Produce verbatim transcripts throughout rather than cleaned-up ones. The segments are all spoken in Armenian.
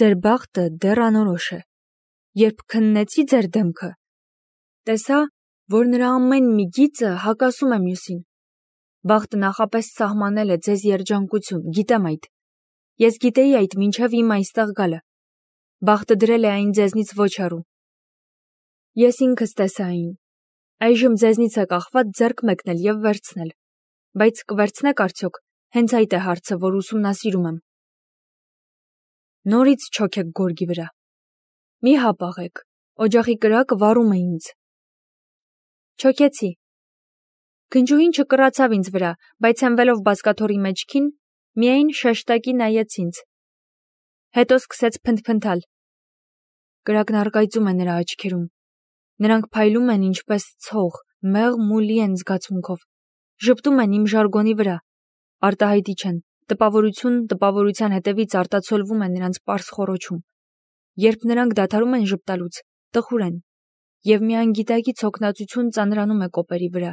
Ձեր բախտը դեռ անորոշ է։ Երբ քննեցի ձեր դեմքը, տեսա, որ նրա ամեն մի գիծը հակասում է մյուսին։ Բախտը նախապես սահմանել է ձեզ երջանկություն, գիտեմ այդ։ Ես գիտեի այդ մինչև իմ այստեղ գալը։ Բախտը դրել է այն ձեզնից ոչ հեռու։ Ես ինքս տեսա այն։ Այժմ ձեզնից է կախված ձեռք մեկնել եւ վերցնել։ Բայց կվերցնեք արդյոք, հենց այդ է հարցը, որ ուսումնասիրում եմ։ Նորից չոքեք գորգի վրա։ Մի հապաղեք, օջախի կրակը վառում է ինձ։ Չոքեցի։ Քնջուհին չկռացավ ինձ վրա, բայց հենվելով բազկաթոռի մեջքին, միայն շեշտակի նայեց ինձ։ Հետո սկսեց փնթփնթալ։ Կրակն առկայծում է նրա աչքերում։ Նրանք փայլում են ինչպես ցող, մեղմ ու լի են զգացմունքով։ Ժպտում են իմ ժարգոնի վրա։ Արտահայտիչ են, տպավորություն տպավորության հետևից արտացոլվում է նրանց պարզ խոռոչում։ Երբ նրանք դադարում են ժպտալուց, տխուր են, եւ մի անգիտակից հոգնածություն ծանրանում է կոպերի վրա։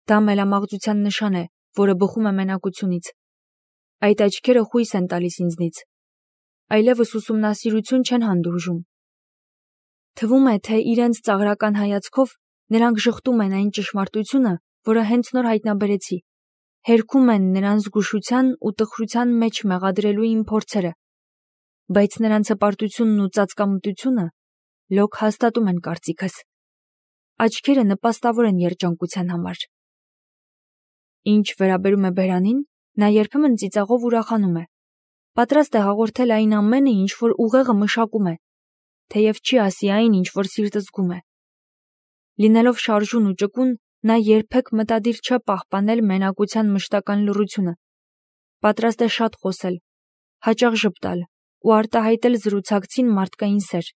Դա մելամաղձության նշան է, որը բխում է մենակությունից։ Այդ աչքերը խույս են տալիս ինձնից։ Այլևս ուսումնասիրություն չեն հանդուրժում։ Թվում է, թե իրենց ծաղրական հայացքով նրանք ժխտում են այն ճշմարտությունը, որը հենց նոր հայտնաբերեցի։ Հերքում են նրան զգուշության ու տխրության մեջ մեղադրելու իմ փորձերը, բայց նրանց հպարտությունն ու ծածկամտությունը լոկ հաստատում են կարծիքս։ Աչքերը նպաստավոր են երջանկության համար։ Ինչ վերաբերում է բերանին, նա երբեմն ծիծաղով ուրախանում է։ Պատրաստ է հաղորդել այն ամենը, ինչ որ ուղեղը մշակում է, թեև չի ասի այն, ինչ որ սիրտը զգում է։ Լինելով շարժուն ու ճկուն, նա երբեք մտադիր չէ պահպանել մենակության մշտական լռությունը։ Պատրաստ է շատ խոսել, հաճախ ժպտալ ու արտահայտել զրուցակցին մարդկային սեր։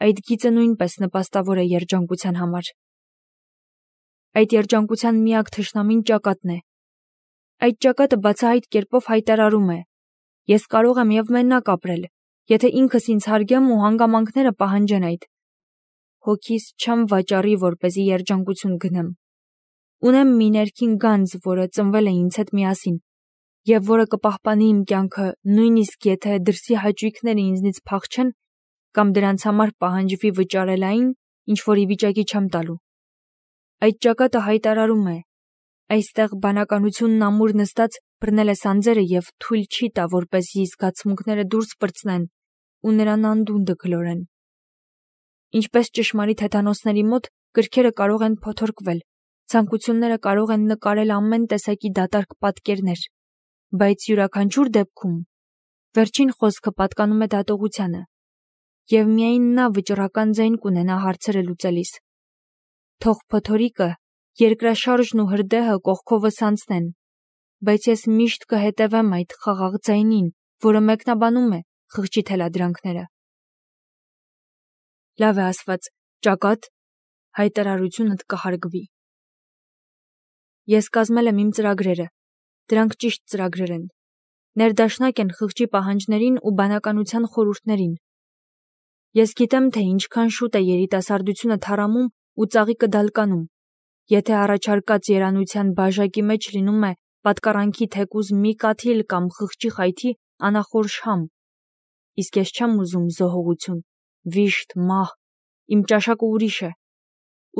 Այդ գիծը նույնպես նպաստավոր է երջանկության համար։ Այդ երջանկության միակ թշնամին ճակատն է։ Այդ ճակատը բացահայտ կերպով հայտարարում է. ես կարող եմ եւ մենակ ապրել, եթե ինքս ինձ հարգեմ ու հանգամանքները պահանջեն այդ։ Հոգիս չեմ վաճառի, որպեսզի երջանկություն գնեմ։ Ունեմ մի ներքին գանձ, որը ծնվել է ինձ հետ միասին, եւ որը կպահպանի իմ կյանքը, նույնիսկ եթե դրսի հաճույքները ինձնից փախչեն կամ դրանց համար պահանջվի վճարել այն, ինչ որ ի վիճակի չեմ տալու։ Այդ ճակատը հայտարարում է. այստեղ բանականությունն ամուր նստած բռնել է սանձերը եւ թույլ չի տա, որպեսզի զգացմունքները դուրս պրծնեն ու նրան անդունդը գլորեն։ Ինչպես ճշմարիտ հեթանոսների մոտ գրքերը կարող են փոթորկվել, ցանկությունները կարող են նկարել ամեն տեսակի դատարկ պատկերներ, բայց յուրաքանչյուր դեպքում վերջին խոսքը պատկանում է դատողությանը, եւ միայն նա վճռական ձայն կունենա հարցերը լուծելիս։ Թող փոթորիկը, երկրաշարժն ու հրդեհը կողքովս անցնեն, բայց ես միշտ կհետևեմ այդ խաղաղ ձայնին, որը մեկնաբանում է խղճի թելադրանքները։ Լավ է ասված, ճակատ, հայտարարությունդ կհարգվի։ Ես կազմել եմ իմ ծրագրերը, դրանք ճիշտ ծրագրեր են, ներդաշնակ են խղճի պահանջներին ու բանականության խորհուրդներին։ Ես գիտեմ, թե ինչքան շուտ է երիտասարդությունը թառամում ու ծաղիկը դալկանում, եթե առաջարկած երանության բաժակի մեջ լինում է պատկառանքի թեկուզ մի կաթիլ կամ խղճի խայթի անախոր շհամ։ Իսկ ես չեմ ուզում զոհողություն, վիշտ, մահ, իմ ճաշակը ուրիշ է։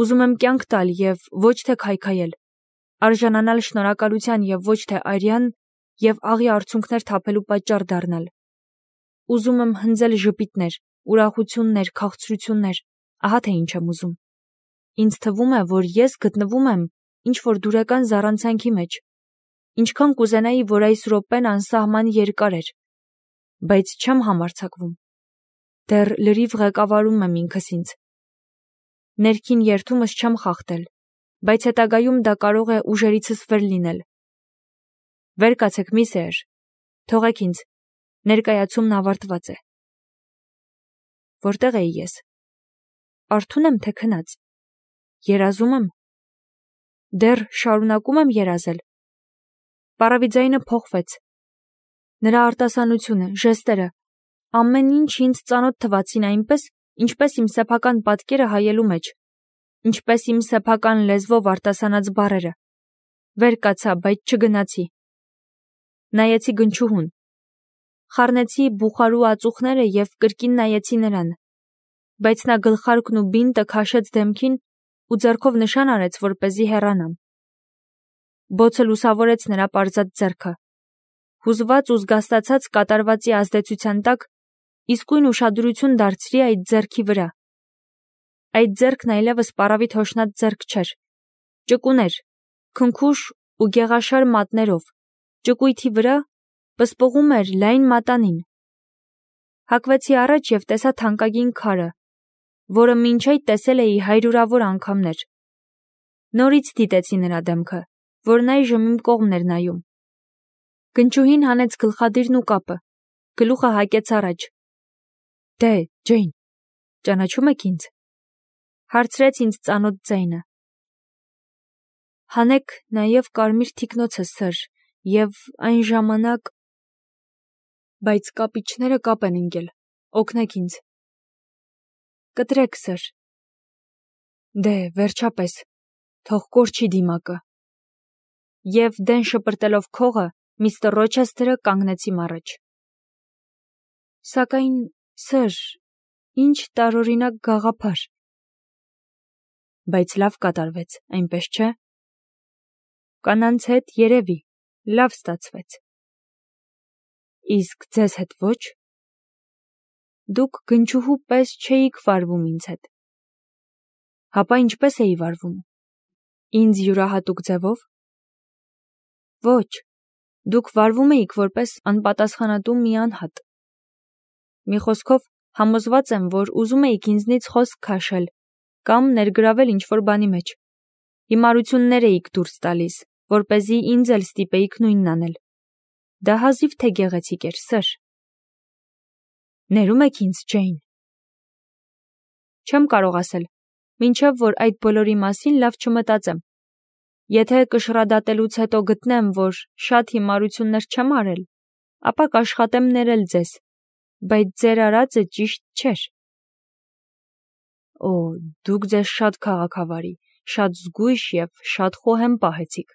Ուզում եմ կյանք տալ եւ ոչ թե քայքայել, արժանանալ շնորհակալության եւ ոչ թե արյան եւ աղի արցունքներ թափելու պատճառ դառնալ։ Ուզում եմ հնձել ժպիտներ, ուրախություններ, քաղցրություններ, ահա թե ինչ եմ ուզում։ Ինձ թվում է, որ ես գտնվում եմ ինչ որ դուրեկան զառանցանքի մեջ, ինչքան կուզենայի, որ այս րոպեն անսահման երկար էր, բայց չեմ համարձակվում։ Դեռ լրիվ ղեկավարում եմ ինքս ինձ։ Ներքին երթումս չեմ խախտել, բայց հետագայում դա կարող է ուժերիցս վեր լինել։ Վեր կացեք, մի սեր, թողեք ինձ, ներկայացումն ավարտված է։ Որտեղ էի ես։ Արթուն եմ, թե քնած։ Երազում եմ։ Դեռ շարունակում եմ երազել։ Պարավի ձայնը փոխվեց։ Նրա արտասանությունը, ժեստերը, ամեն ինչ ինձ ծանոթ թվացին այնպես, ինչպես իմ սեփական պատկերը հայելու մեջ, ինչպես իմ սեփական լեզվով արտասանած բառերը։ Վեր կացա, բայց չգնացի։ Նայեցի գնչուհուն։ խառնեցի բուխարու ածուխները և կրկին նայեցի նրան, բայց նա գլխարկն ու բինտը քաշեց դեմքին ու ձեռքով նշան արեց, որպեսզի հեռանամ։ Բոցը լուսավորեց նրա պարզած ձեռքը։ Հուզված ու զգաստացած կատարվածի ազդեցության տակ իսկույն ուշադրություն դարձրի այդ ձեռքի վրա։ Այդ ձեռքն այլևս պառավիտ հոշնած ձեռք չէր, ճկուն էր, քնքուշ ու գեղաշար մատներով, ճկույթի վրա պսպղում էր լայն մատանին։ Հակվեցի առաջ և տեսա թանկագին քարը, որը մինչ այդ տեսել էի հարյուրավոր անգամներ։ Նորից դիտեցի նրա դեմքը, որն այժմ իմ կողմն էր նայում։ Գնչուհին հանեց գլխադիրն ու կապը, գլուխը հակեց առաջ։ Դե, Ջեյն, ճանաչում եք ինձ, հարցրեց ինձ ծանոթ ձայնը։ Հանեք նաև կարմիր թիկնոցը, սըր, և այն ժամանակ… Բայց կապիչները կապ են ընկել, օգնեք ինձ։ Կտրեք, սըր։ Դե, վերջապես, թող կորչի դիմակը։ Եվ դեն շպրտելով քողը, միստր Ռոչեսթերը կանգնեց իմ առաջ։ Սակայն, սըր, ինչ տարօրինակ գաղափար։ Բայց լավ կատարվեց, այնպես չէ։ Կանանց հետ երևի, լավ ստացվեց։ Իսկ ձեզ հետ ոչ։ Դուք գնչուհու պես չէիք վարվում ինձ հետ։ Հապա ինչպես էի վարվում։ Ինձ յուրահատուկ ձևով։ Ոչ, դուք վարվում էիք որպես անպատասխանատու մի անհատ։ Մի խոսքով, համոզված եմ, որ ուզում էիք ինձնից խոսք քաշել կամ ներգրավել ինչ-որ բանի մեջ։ Հիմարություններ էիք դուրս տալիս, որպեսզի ինձ էլ ստիպեիք նույնն անել։ Դա հազիվ թե գեղեցիկ էր, սըր։ Ներում եք ինձ, Ջեյն։ Չեմ կարող ասել, մինչև որ այդ բոլորի մասին լավ չմտածեմ։ Եթե կշռադատելուց հետո գտնեմ, որ շատ հիմարություններ չեմ արել, ապա կաշխատեմ ներել ձեզ, բայց ձեր արածը ճիշտ չէր։ Օ, դուք ձեզ շատ քաղաքավարի, շատ զգույշ և շատ խոհեմ պահեցիք։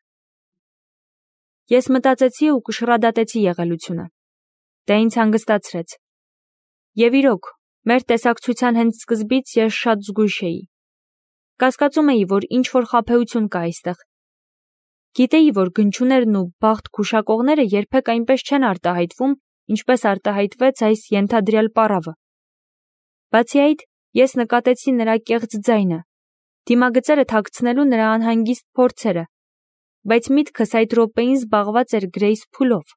Ես մտածեցի ու կշռադատեցի եղելությունը։ Դա ինձ հանգստացրեց։ Եվ իրոք, մեր տեսակցության հենց սկզբից ես շատ զգույշ էի։ Կասկածում էի, որ ինչ-որ խաբեություն կա այստեղ։ Գիտեի, որ գնչուներն ու բախտ գուշակողները երբեք այնպես չեն արտահայտվում, ինչպես արտահայտվեց այս ենթադրյալ պառավը։ Բացի այդ, ես նկատեցի նրա կեղծ ձայնը, դիմագծերը թաքցնելու նրա անհանգիստ փորձերը, բայց միտքս այդ րոպեին զբաղված էր Գրեյս փուլով,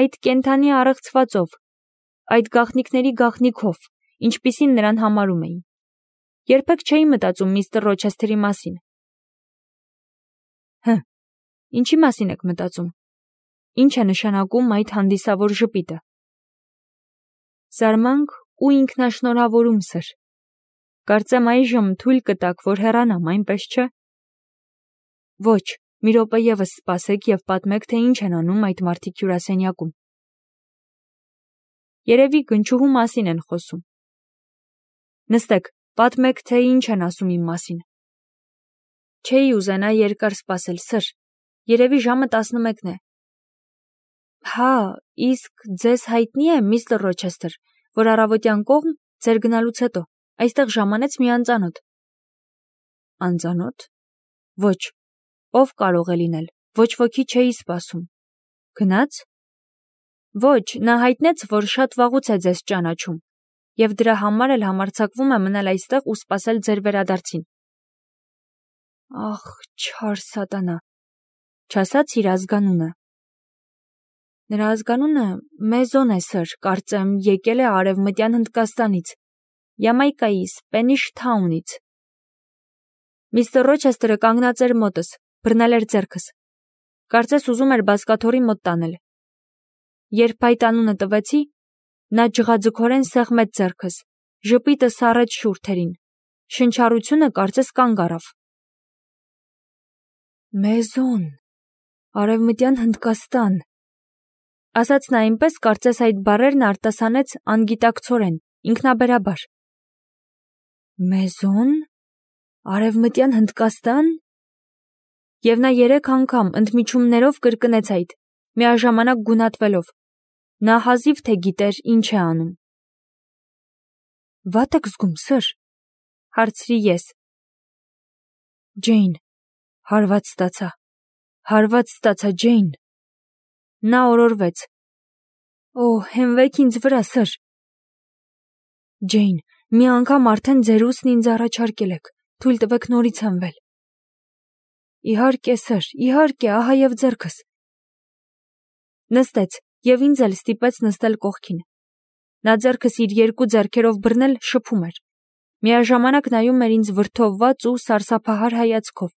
այդ կենդանի առեղծվածով, այդ գաղտնիքների գաղտնիքով, ինչպիսին նրան համարում էի։ Երբեք չէի մտածում միստր Ռոչեսթերի մասին։ Հը, ինչի մասին եք մտածում։ Ինչ է նշանակում այդ հանդիսավոր ժպիտը։ Զարմանք ու ինքնաշնորհավորում, սըր։ Կարծեմ այժմ թույլ կտաք, որ հեռանամ, այնպես չէ։ Ոչ, մի րոպե ևս սպասեք և պատմեք, թե ինչ են անում այդ մարդիկ հյուրասենյակում։ Երևի գնչուհու մասին են խոսում։ Նստեք, պատմեք, թե ինչ են ասում իմ մասին։ Չէի ուզենա երկար սպասել, սըր։ Երևի ժամը տասնմեկն է։ Հա, իսկ ձեզ հայտնի է, միստր Ռոչեսթեր, որ առավոտյան կողմ, ձեր գնալուց հետո, այստեղ ժամանեց մի անծանոթ։ Անծանոթ։ Ոչ, ով կարող է լինել, ոչ ոքի չէի սպասում։ Գնաց։ Ոչ, նա հայտնեց, որ շատ վաղուց է ձեզ ճանաչում, և դրա համար էլ համարձակվում է մնալ այստեղ ու սպասել ձեր վերադարձին։ Ախ, չար սատանա, չասաց իր ազգանունը։ Նրա ազգանունը Մեզոն է, սըր, կարծեմ, եկել է Արևմտյան Հնդկաստանից, Յամայկայի Սպենիշ Թաունից։ Միստր Ռոչեսթերը կանգնած էր մոտս, բռնել էր ձեռքս։ Կարծես ուզում էր բազկաթոռի մոտ տանել։ Երբ այդ անունը տվեցի, նա ջղաձգորեն սեղմեց ձեռքս, ժպիտը սառեց շուրթերին, շնչառությունը կարծես կանգ առավ։ Մեզոն, Արևմտյան Հնդկաստան, ասաց նա այնպես, կարծես այդ բառերն արտասանեց անգիտակցորեն, ինքնաբերաբար։ Մեզոն, Արևմտյան Հնդկաստան։ Եվ նա երեք անգամ ընդմիջումներով կրկնեց այդ, միաժամանակ գունատվելով։ Նա հազիվ թե գիտեր ինչ է անում։ Վատ եք զգում, սըր, հարցրի ես։ Ջեյն, հարված ստացա, հարված ստացա, Ջեյն։ Նա օրորվեց։ Օ, հենվեք ինձ վրա, սըր։ Ջեյն, մի անգամ արդեն ձեր ուսն ինձ առաջարկել եք, թույլ տվեք նորից հենվել։ Իհարկե, սըր, իհարկե, ահա և ձեռքս։ Նստեց և ինձ էլ ստիպեց նստել կողքին։ Նա ձեռքս իր երկու ձեռքերով բռնել շփում էր, միաժամանակ նայում էր ինձ վրդովված ու սարսափահար հայացքով։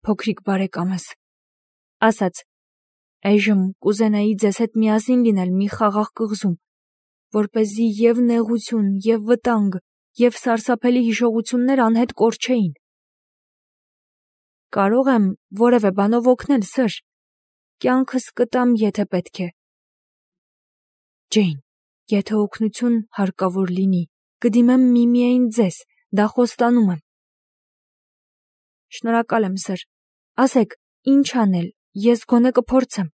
Փոքրիկ բարեկամս, ասաց, այժմ կուզենայի ձեզ հետ միասին լինել մի խաղաղ կղզում, որպեսզի և նեղություն, և վտանգ, և սարսափելի հիշողություններ անհետ կորչեին։ Կարող եմ որևէ բանով օգնել, սըր, կյանքս կտամ, եթե պետք է։ Ջեյն, եթե օգնություն հարկավոր լինի, կդիմեմ միմիայն ձեզ, դա խոստանում եմ։ Շնորհակալ եմ, սըր, ասեք, ինչ անել, ես գոնե կփորձեմ։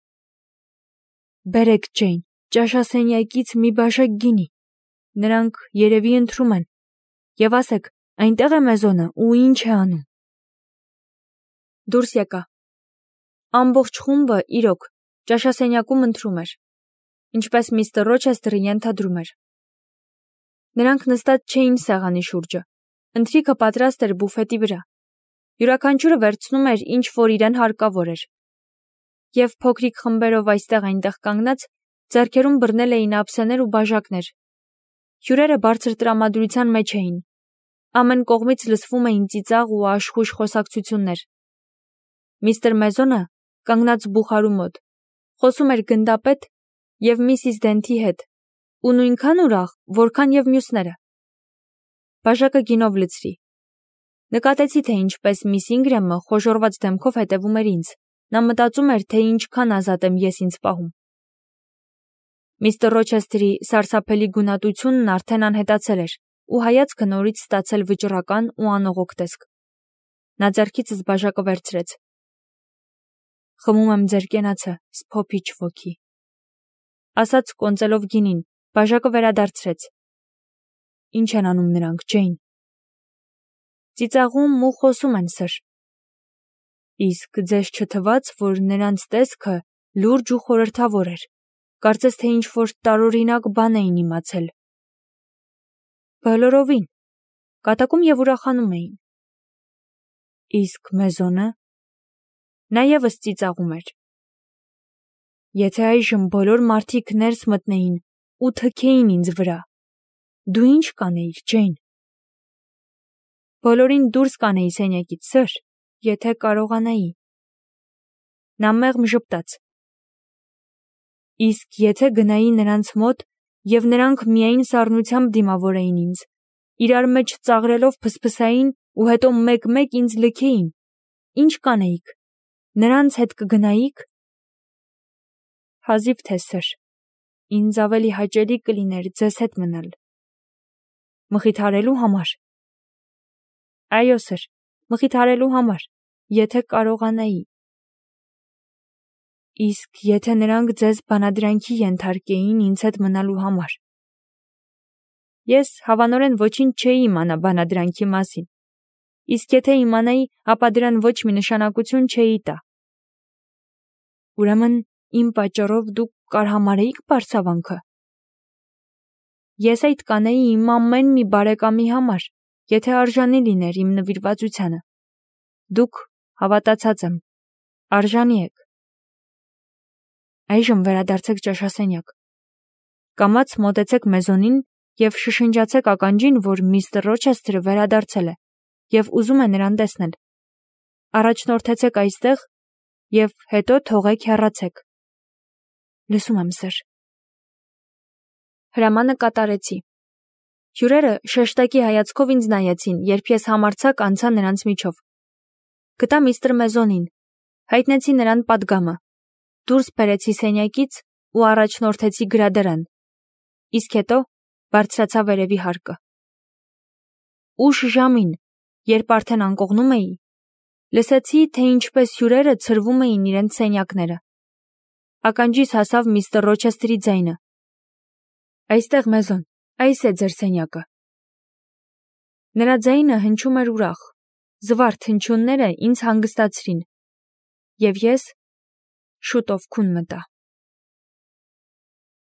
Բերեք, Ջեյն, ճաշասենյակից մի բաժակ գինի, նրանք երևի ընթրում են, և ասեք, այնտեղ է Մեզոնը ու ինչ է անում։ Դուրս եկա։ Ամբողջ խումբը, իրոք, ճաշասենյակում ընթրում էր, ինչպես միստր Ռոչեսթերը ենթադրում էր։ Նրանք նստած չէին սեղանի շուրջը, ընթրիքը պատրաստ էր բուֆետի վրա։ Յուրաքանչյուրը վերցնում էր ինչ որ իրեն հարկավոր էր։ Եվ փոքրիկ խմբերով այստեղ-այնտեղ կանգնած, ձեռքերում բռնել էին ափսեներ ու բաժակներ։ Հյուրերը բարձր տրամադրության մեջ էին։ Ամեն կողմից լսվում էին ծիծաղ ու աշխույժ խոսակցություններ։ Միստր Մեզոնը, կանգնած բուխարու մոտ, խոսում էր գնդապետ և միսիս Դենթի հետ, ու նույնքան ուրախ, որքան և մյուսները։ Բաժակը գինով լցրի։ Նկատեցի, թե ինչպես միս Ինգրեմը խոժոռված դեմքով հետևում էր ինձ։ Նա մտածում էր, թե ինչքան ազատ եմ ես ինձ պահում։ Միստր Ռոչեսթերի սարսափելի գունատությունն արդեն անհետացել էր, ու հայացքը նորից ստացել վճռական ու անողոք տեսք։ Նա ձեռքիցս բաժակը վերցրեց։ Խմում եմ ձեր կենացը, սփոփիչ ոգի, ասաց կոնծելով գինին, բաժակը վերադարձրեց։ Ինչ են անում նրանք, Ջեյն։ Ծիծաղում ու խոսում են, սըր։ Իսկ ձեզ չթվաց, որ նրանց տեսքը լուրջ ու խորհրդավոր էր, կարծես թե ինչ-որ տարօրինակ բան էին իմացել։ Բոլորովին, կատակում և ուրախանում էին։ Իսկ Մեզոնը։ Նա ևս ծիծաղում էր։ Եթե այժմ բոլոր մարդիկ ներս մտնեին ու թքեին ինձ վրա, դու ինչ կանեիր, Ջեյն։ Բոլորին դուրս կանեի սենյակից, սըր, եթե կարողանայի։ Նա մեղմ ժպտաց։ Իսկ եթե գնայի նրանց մոտ, և նրանք միայն սառնությամբ դիմավորեին ինձ, իրար մեջ ծաղրելով փսփսային ու հետո մեկ-մեկ ինձ լքեին, ինչ կանեիք, նրանց հետ կգնայի՞ք։ Հազիվ թե, սըր, ինձ ավելի հաճելի կլիներ ձեզ հետ մնալ։ Մխիթարելու համար։ Այո, սըր, մխիթարելու համար, եթե կարողանայի։ Իսկ եթե նրանք ձեզ բանադրանքի ենթարկեին ինձ հետ մնալու համար։ Ես հավանորեն ոչինչ չէի իմանա բանադրանքի մասին, իսկ եթե իմանայի, ապա դրան ոչ մի նշանակություն չէի տա։ Ուրեմն իմ պատճառով դուք կարհամարեիք պարծավանքը։ Ես այդ կանեի իմ ամեն մի բարեկամի համար, եթե արժանի լիներ իմ նվիրվածությանը։ Դուք, հավատացած եմ, արժանի եք։ Այժմ վերադարձեք ճաշասենյակ։ Կամաց մոտեցեք Մեզոնին և շշնջացեք ականջին, որ միստր Ռոչեսթերը վերադարձել է և ուզում է նրան տեսնել։ Առաջնորդեցեք այստեղ և հետո թողեք հեռացեք։ Լսում եմ, սըր։ Հրամանը կատարեցի։ Հյուրերը շեշտակի հայացքով ինձ նայեցին, երբ ես համարձակ անցա նրանց միջով։ Գտա միստր Մեզոնին, հայտնեցի նրան պատգամը, դուրս բերեցի սենյակից ու առաջնորդեցի գրադարան, իսկ հետո բարձրացա վերևի հարկը։ Ուշ ժամին, երբ արդեն անկողնում էի, լսեցի, թե ինչպես հյուրերը ցրվում էին իրենց սենյակները։ ականջիս հասավ միստր Ռոչեսթերի ձայնը. «Այստեղ մեզոն, այս է ձեր սենյակը»։ Նրա ձայնը հնչում էր ուրախ, զվարթ հնչյունները ինձ հանգստացրին, և ես շուտով քուն մտա։